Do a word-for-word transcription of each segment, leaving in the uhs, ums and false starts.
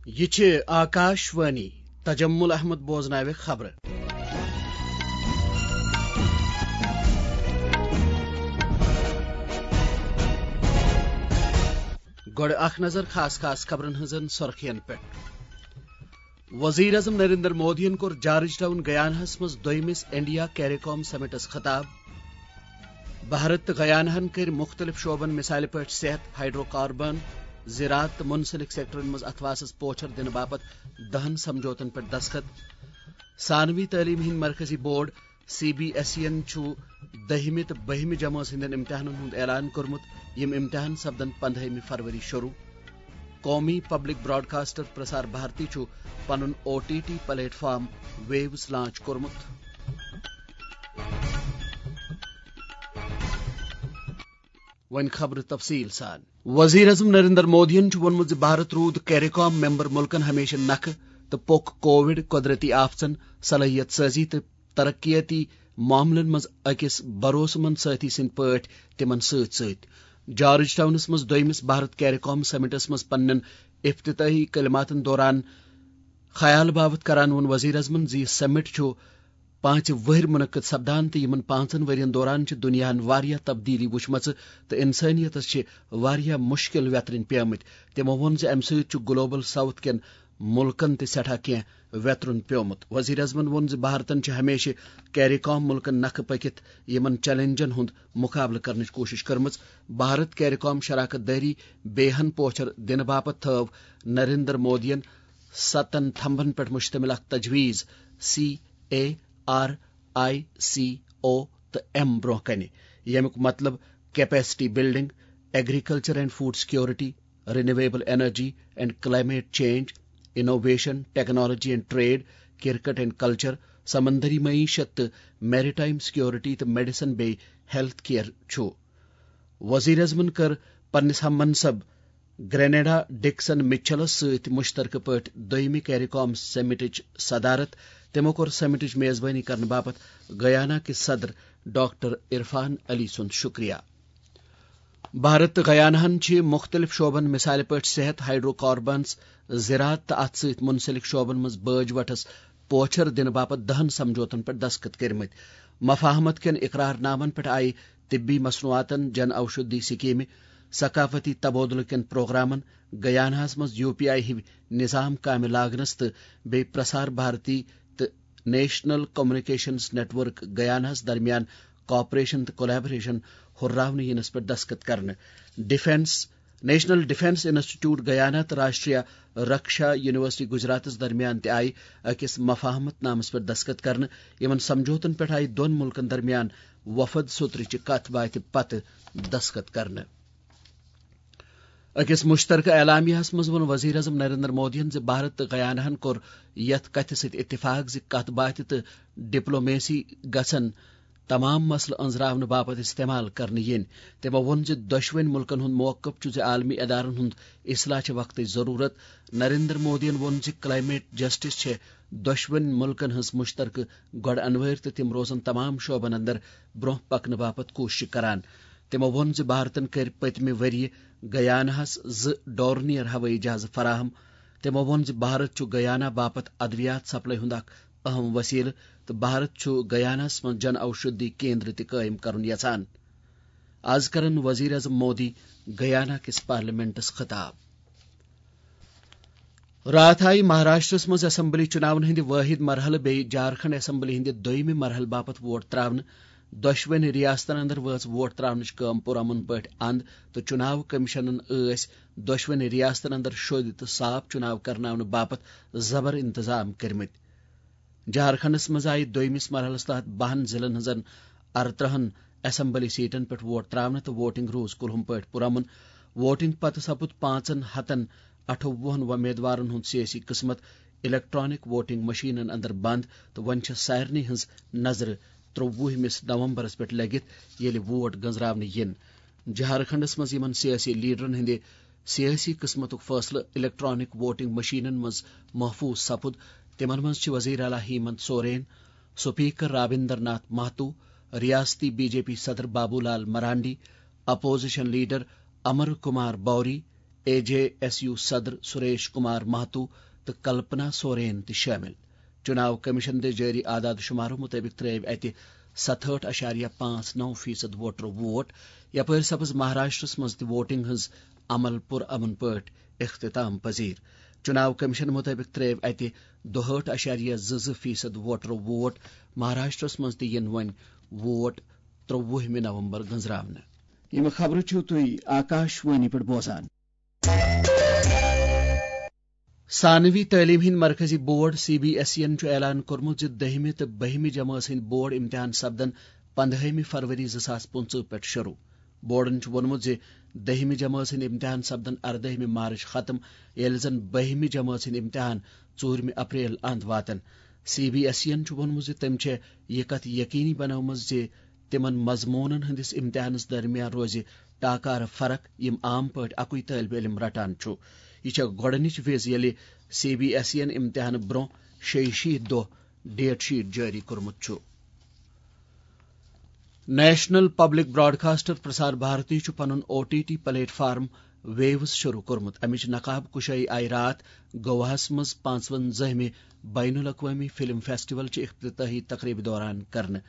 یہِ چھِ آکاش وانی۔ تجمل احمد بوزناوِ خبرٕ۔ گۄڈٕ اکھ نظر خاص خاص خبرن ہٕنٛزن سرخین پٮ۪ٹھ۔ وزیر اعظم نریندر مودیَن کوٚر جارج ٹاؤن گیاناہَس منٛز دوٚیمِس انڈیا کیریکام سمٹس خطاب۔ بھارت تہٕ گیاناہَن کٔرۍ مُختٔلِف شعبن، مثالہِ پٲٹھۍ صحت، ہائیڈرو کاربن، زراعت تہٕ منسلک سیکٹرن منٛز اتھواسس پوچھر دِنہٕ باپتھ دَہن سمجھوتن پٮ۪ٹھ دستخط۔ ثانوی تعلیٖم ہٕنٛدۍ مرکزی board C B S E یَن چھُ دٔہمہِ تہٕ بٔہمہِ جمٲژ ہٕنٛدٮ۪ن امتحانن ہُنٛد اعلان کوٚرمُت۔ یِم امتحان سپدن پندہمہِ فروری شروع۔ قومی پبلک براڈکاسٹر پرسار بھارتی چھُ پنُن O T T platform waves launch کوٚرمُت۔ وۄنۍ خبرٕ تفصیٖل سان۔ وزیر اعظم نریندر مودیَن چھُ ووٚنمُت زِ بھارت روٗد کیریکام ممبر ملکن ہمیشہٕ نکھٕ تہٕ پوٚک کووڈ، قۄدرتی آفژن، صلٲحیت سازی تہٕ ترقیتی معاملن منٛز أکِس بھروسہٕ مند سٲتھی سٕنٛدۍ پٲٹھۍ تِمن سۭتۍ سۭتۍ۔ جارج ٹاؤنس منٛز دوٚیمِس بھارت کیریکام سمٹس منٛز پننٮ۪ن افتتاحی کلماتن دوران خیال باوت کران ووٚن وزیر اعظمن زِ یہِ سمٹ چھُ پانٛژِ وٕہٕرۍ منعقد سپدان تہٕ یِمن پانٛژن ؤرین دوران چھِ دُنیاہن واریاہ تبدیلی وٕچھمژٕ تہٕ انسٲنیتس چھِ واریاہ مُشکِل ویترٕنۍ پیمٕتۍ۔ تِمو ووٚن زِ امہِ سۭتۍ چھُ گلوبل ساؤتھ کٮ۪ن مُلکن تہِ سٮ۪ٹھاہ کینٛہہ ویترُن پیومُت۔ وزیر اعظمن ووٚن زِ بھارتن چھِ ہمیشہٕ کیریکام مُلکن نکھٕ پٔکِتھ یِمن چیلنجن ہُنٛد مُقابلہٕ کرنٕچ کوٗشش کٔرمٕژ۔ بھارت کیریکام شراکت دٲری بیٚیہِ ہن پوچھر دِنہٕ باپتھ تھٲو نریندر مودیَن ستن تھمبن پٮ۪ٹھ مشتمل اکھ تجویز، C A R I C O تہٕ ایم، برونٛہہ کنہِ، ییٚمیُک مطلب capacity building, agriculture and food security, renewable energy and climate change, innovation, technology and trade, cricket and culture, سمندری معیشت تہٕ میری ٹائم سیکورٹی تہٕ میڈیسن بیٚیہِ ہیلتھ کیئر چھُ۔ وزیر اعظمن کٔر پننِس ہم منصب گرینیڈا ڈکسن مچلس سۭتۍ مشترکہٕ پٲٹھۍ دوٚیمہِ کیریکام سمٹٕچ صدارت۔ تِمو کوٚر سمٹٕچ میزبٲنی کرنہٕ باپتھ گیانا کِس صدر ڈاکٹر عرفان علی سُنٛد شکریہ۔ بھارت تہٕ گیاناہن چھِ مُختٔلِف شعبن، مثالہِ پٲٹھۍ صحت، ہائیڈرو کاربنز، زراعت تہٕ اتھ سۭتۍ منسلک شعبن منٛز بٲج وٹھس پوچھر دِنہٕ باپتھ دَہن سمجھوتن پٮ۪ٹھ دستخط کٔرمٕتۍ۔ مفاہمت کٮ۪ن اقرار نامن پٮ۪ٹھ آیہِ طبی مصنوعاتن، جن اوشدھی سکیمہِ، ثقافتی تبادلہٕ کٮ۪ن پروگرامن، گیاناہس منٛز یو پی آئی ہٕوۍ نظام کامہِ لاگنس تہٕ بیٚیہِ پرسار بھارتی تہٕ نیشنل کمیونیکیشنز نیٹ ورک گیاناہس درمیان کوآپریشن تہٕ کولابریشن ہُرراونہٕ یِنس پٮ۪ٹھ دستخط کرنہٕ۔ Defence, national defence institute Guyana تہٕ راشٹریہ رکشا یونیورسٹی گجراتس درمیان تہِ آیہِ أکِس مفاہمت نامس پٮ۪ٹھ دستخط کرنہٕ۔ یِمن سمجھوتن پٮ۪ٹھ آیہِ دۄن مُلکن درمیان وفد سوترٕچہِ کتھ باتھِ پتہٕ دستخط کرنہٕ۔ أکِس مُشترکہٕ اعلامیہس منٛز ووٚن وزیر اعظم نریندر مودیَن زِ بھارت تہٕ گیاناہن کوٚر یَتھ کَتھِ سۭتۍ اتفاق زِ کَتھ باتھِ تہٕ ڈپلومیسی گژھن تمام مسلہٕ أنٛزراونہٕ باپتھ استعمال کرنہٕ یِنۍ۔ تِمو ووٚن زِ دۄشوٕنۍ مُلکن ہُنٛد موقف چھُ زِ عالمی ادارن ہُنٛد اصلاح چھِ وقتٕچ ضروٗرت۔ نریندر مودیَن ووٚن زِ کلائمیٹ جسٹس چھِ دۄشوٕنۍ مُلکن ہٕنٛز مُشترکہٕ گۄڈٕ انوٲرۍ تہٕ تِم روزن تمام شعبن اندر برونٛہہ پکنہٕ باپتھ کوٗششہٕ کران۔ تِمو ووٚن زِ بھارتن کٔرۍ پٔتمہِ ؤرۍ یہِ گیاناہَس زٕ ڈورنیئر ہوٲیی جہازٕ فراہم۔ تِمو ووٚن زِ بھارت چھُ گیانا باپتھ ادویات سپلائی ہُنٛد اکھ اہم وسیلہٕ تہٕ بھارت چھُ گیاناہَس منٛز جن اوشدھی کیندر تہِ قٲیِم کرُن یژھان۔ از کرن وزیر اعظم مودی گیانا کِس پارلیمنٹس خطاب۔ راتھ آیہِ مہاراشٹرس منٛز اسمبلی چُناون ہٕنٛدِ وٲحد مرحلہٕ بیٚیہِ جھارکھنڈ اسمبلی ہٕنٛدِ دوٚیمہِ مرحلہٕ باپتھ ووٹ تراونہٕ۔ دۄشوٕنی ریاستن اندر وٲژ ووٹ تراونٕچ کٲم پُرامن پٲٹھۍ اند تہٕ چُناو کمیشنن ٲسۍ دۄشوٕنی ریاستن اندر شوٚدۍ تہٕ صاف چُناو کرناونہٕ باپتھ زبر انتظام کٔرمٕتۍ۔ جھارکھنڈس منٛز آیہِ دوٚیمِس مرحلس تحت بَہَن ضلعن ہٕنٛزن اَرترٛہَن اسمبلی سیٹن پٮ۪ٹھ ووٹ تراونہٕ تہٕ ووٹنگ روٗز کُلہُم پٲٹھۍ پُرامن۔ ووٹنگ پتہٕ سپُد پانٛژن ہتن اَٹھووُہَن وۄمیدوارن ہُنٛد سیٲسی قٕسمت الیکٹرانک ووٹنگ مشینن اندر بند تہٕ وۄنۍ چھِ سارنٕے ہٕنٛز نظرٕ ترٛۆوُہمِس نومبرس پٮ۪ٹھ لٔگِتھ، ییٚلہِ ووٹ گنزراونہٕ یِن۔ جھارکھنڈس منٛز یِمن سیٲسی لیڈرن ہٕنٛدِ سیٲسی قٕسمتُک فٲصلہٕ الیکٹرانک ووٹنگ مشینن منٛز محفوظ سپُد، تِمن منٛز چھِ وزیر اعلیٰ ہیمنت سورین، سپیکر رابندر ناتھ مہتو، ریاستی بی جے پی صدر Babu Lal Marandi, opposition leader Amar Kumar Bauri, A J S U صدر سریش کمار مہتو تہٕ کلپنا سورین تہِ شٲمِل۔ چُناو کمیشن دِژ جٲری اعداد شمارو مُطٲبِق ترٲوۍ اَتہِ ستہٲٹھ اَشاریہ پانٛژھ نَو فیصد ووٹرو ووٹ۔ یپٲرۍ سپٕز مہاراشٹرس منٛز تہِ ووٹنگ ہٕنٛز عمل پُرامن پٲٹھۍ اختتام پذیر۔ چُناو کمیشن مُطٲبِق ترٲوۍ اَتہِ دُہٲٹھ اَشاریہ زٕ زٕ فیصد ووٹرو ووٹ۔ مہاراشٹرس منٛز تہِ یِن وۄنۍ ووٹ ترٛۆوُہمہِ نومبر گٔنزراونہٕ۔ یِم خبرٕ چھِو تُہۍ آکاش وانی پٮ۪ٹھ بوزان۔ ثانوی تعلیٖم ہٕنٛدۍ مرکزی board C B S E یَن چھُ اعلان کوٚرمُت زِ دٔہمہِ تہٕ بٔہمہِ جمٲژ ہٕنٛدۍ بورڈ امتحان سپدن پندہٲیمہِ فروری زٕ ساس پٕنٛژٕہ پٮ۪ٹھ شروع۔ بورڈن چھُ ووٚنمُت زِ دٔہمہِ جمٲژ ہٕنٛدۍ امتحان سپدن اردٲہمہِ مارچ ختم، ییٚلہِ زن بٔہمہِ جمٲژ ہٕنٛدۍ امتحان ژوٗرمہِ اپریل اند واتن۔ سی بی ایس ای یَن چھُ ووٚنمُت زِ تٔمۍ چھےٚ یہِ کتھ یقینی بنٲومٕژ زِ تِمن مضموٗنن ہٕنٛدِس امتحانس درمیان روزِ ٹاکارٕ فرق، یِم عام پٲٹھۍ اکُے طٲلبہِ علم رٹان چھُ۔ یہِ چھےٚ گۄڈٕنِچ وِز، ییٚلہِ سی بی ایس ای یَن امتحانہٕ برٛونٛہہ شیٚیہِ شیٖتھ دۄہ ڈیٹ شیٹ جٲری کوٚرمُت چھُ۔ National public broadcaster Prasar Bharati چھُ پنُن O T T platform waves شروع کوٚرمُت۔ امِچ نقاب کشٲیی آیہِ راتھ گواہس منٛز پانٛژونزٲہمہِ بین الاقوٲمی فلم فیسٹیول چہِ افتتاحی تقریبہِ دوران کرنہٕ۔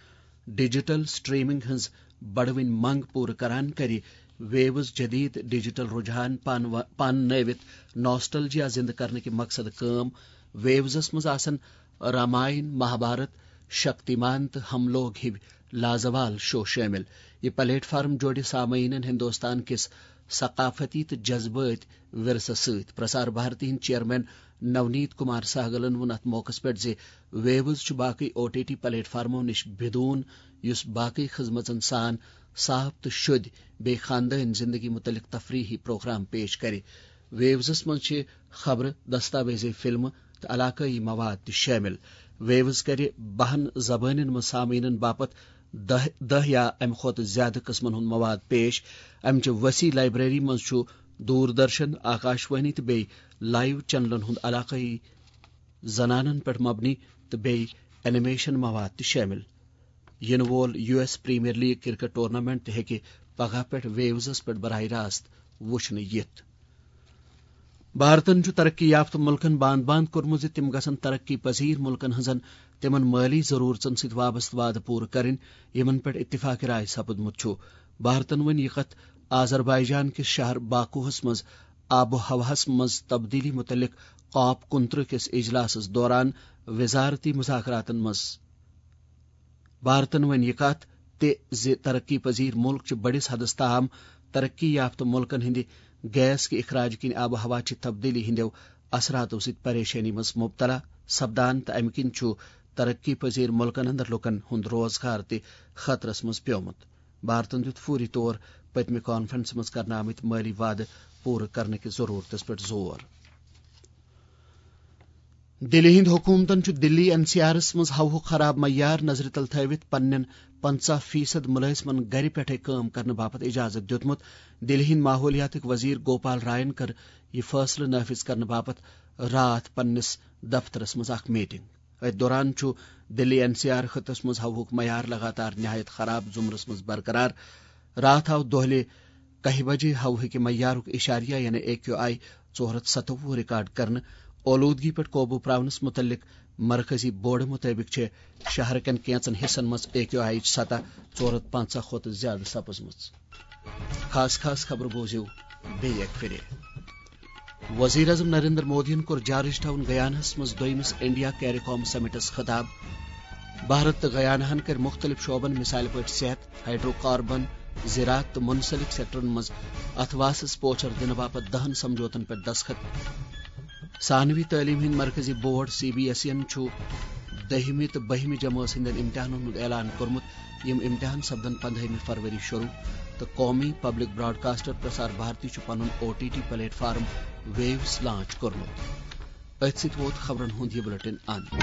ڈیجیٹل سٹریمنگ ہٕنٛز بڑوٕنۍ منگ پوٗرٕ کران کرِ ویوز جدید ڈیجیٹل رجحان پان و-، پان نٲوِتھ ناسٹلجیا زندٕ کرنہٕ کہِ مقصدٕ کٲم۔ ویوزس منٛز آسن راماین، مہابھارت، شکتیمان تہٕ ہم لوگ ہِوۍ لازوال شو شٲمِل۔ یہِ پلیٹ فارم جوڑِ سامعیٖنن ہندوستان کِس ثقافتی تہٕ جذبٲتۍ ورثس سۭتۍ۔ پرسار بھارتی ہٕنٛدۍ چیئرمین نونیت کمار سہگلن ووٚن اتھ موقعس پٮ۪ٹھ زِ ویوز چھُ باقٕے او ٹی ٹی پلیٹ فارمو نِش بِدوٗن، یُس باقٕے خدمژن سان صاف تہٕ شوٚدۍ بیٚیہِ خاندٲنۍ زندگی متعلق تفریحی پروگرام پیش کرِ۔ ویوزس منٛز چھِ خبرٕ، دستاویزی فلمہٕ تہٕ علاقٲیی مواد تہِ شٲمِل۔ ویوز کرِ بَہَن زبٲنٮ۪ن منٛز سامعیٖنَن باپتھ دَہ، دَہ یا اَمہِ کھۄتہٕ زِیٛادٕ قٕسمَن ہُنٛد مواد پیش۔ اَمہِ چہِ وسیع لائبریری منٛز چھُ دوردرشن، آکاشوانی تہٕ بیٚیہِ لائیو چینلَن ہُنٛد علاقٲیی زنانَن پٮ۪ٹھ مبنی تہٕ بیٚیہِ اینیمیشن مواد تہِ شٲمِل۔ یِنہٕ وول U S premier league cricket tournament تہِ ہیٚکہِ پگہہ پٮ۪ٹھ ویوزَس پٮ۪ٹھ براہ راست وُچھنہٕ یِتھ۔ بھارتن چھُ ترقی یافتہٕ مُلکن باند باند کوٚرمُت زِ تِم گژھن ترقی پذیر مُلکن ہٕنٛزن تِمن مٲلی ضروٗرژن سۭتۍ وابستہٕ وعدٕ پوٗرٕ کرٕنۍ، یِمن پٮ۪ٹھ اتفاق رائے سپُدمُت چھُ۔ بھارتن ووٚن یہِ کتھ آذربائیجان کِس شہر باکوہس منٛز آب و ہوہس منٛز تبدیلی مُتعلق کاپ کُنترٕہ کِس اجلاسس دوران وزارتی مذاکراتن منٛز۔ بھارتن ووٚن یہِ کتھ تہِ زِ ترقی پذیر مُلک چھِ بٔڑِس حدس تام ترقی یافتہٕ مُلکن ہٕنٛدِ گیس کہِ اخراج کِنۍ آب و ہوا چہِ تبدیلی ہٕنٛدیو اثراتو سۭتۍ پریشٲنی منٛز مبتلا سپدان تہٕ امہِ کِنۍ چھُ ترقی پذیر مُلکن اندر لوٗکن ہُنٛد روزگار تہِ خطرس منٛز پیومُت۔ بھارتن دیُت فوری طور پٔتمہِ کانفرنسہِ منٛز کرنہٕ آمٕتۍ مٲلی وعدٕ پوٗرٕ کرنہٕ کِس ضروٗرتس پٮ۪ٹھ زور۔ دِلہِ ہٕنٛدۍ حکوٗمتن چھُ دِلی این سی آرس منٛز ہوہُک خراب معیار نظرِ تل تھٲوِتھ پننٮ۪ن پنٛژاہ فیصد مُلٲزمن گرِ پٮ۪ٹھے کٲم کرنہٕ باپتھ اجازت دیُتمُت۔ دِلہِ ہٕنٛدۍ ماحولیاتٕکۍ وزیر گوپال رائن کٔر یہِ فٲصلہٕ نافذ کرنہٕ باپتھ راتھ پننِس دفترس منٛز اکھ میٹنگ۔ أتھۍ دوران چھُ دِلی این سی آر خطس منٛز ہوہُک معیار لگاتار نہایت خراب زُمرس منٛز برقرار۔ راتھ آو دۄہلہِ کاہہِ بجے ہوہٕکہِ معیارُک اشاریہ یعنی اے کیو آئی ژور ہتھ ستووُہ ریکارڈ کرنہٕ۔ اولودگی پٮ۪ٹھ قوبو پراونس مُتعلق مرکزی بورڈٕ مُطٲبِق چھِ شہرٕ کٮ۪ن کینٛژن حصن منٛز اے کیو آئی ہٕچ سطح ژور ہتھ پنٛژاہ کھۄتہٕ زیادٕ سپٕزمٕژ۔ خاص خاص خبرٕ بوزِو بیٚیہِ اکہِ پھِرِ۔ وزیر اعظم نریندر مودیَن کوٚر جارج ٹاؤن گیاناہَس منٛز دوٚیمِس انڈیا کیریکام سمٹس خطاب۔ بھارت تہٕ گیاناہَن کٔرۍ مُختٔلِف شعبن، مثال پٲٹھۍ صحت، ہائیڈرو کاربن، زراعت تہٕ منسلک سیکٹرن منٛز اتھواسس پوچھر دِنہٕ باپتھ دَہَن سمجھوتن پٮ۪ٹھ دستخط۔ ثانوی تعلیٖم ہٕنٛدۍ مرکزی board C B S E یَن چھُ دٔہمہِ تہٕ بٔہمہِ جمٲژ ہٕنٛدٮ۪ن امتحانن ہُنٛد اعلان کوٚرمُت۔ یِم امتحان سپدن پندہٲیمہِ فروری شروع تہٕ قومی پبلک براڈکاسٹر پرسار بھارتی چھُ پنُن O T T platform waves launch کوٚرمُت۔ أتھۍ سۭتۍ ووت خبرن ہُنٛد یہِ بلیٹن اند۔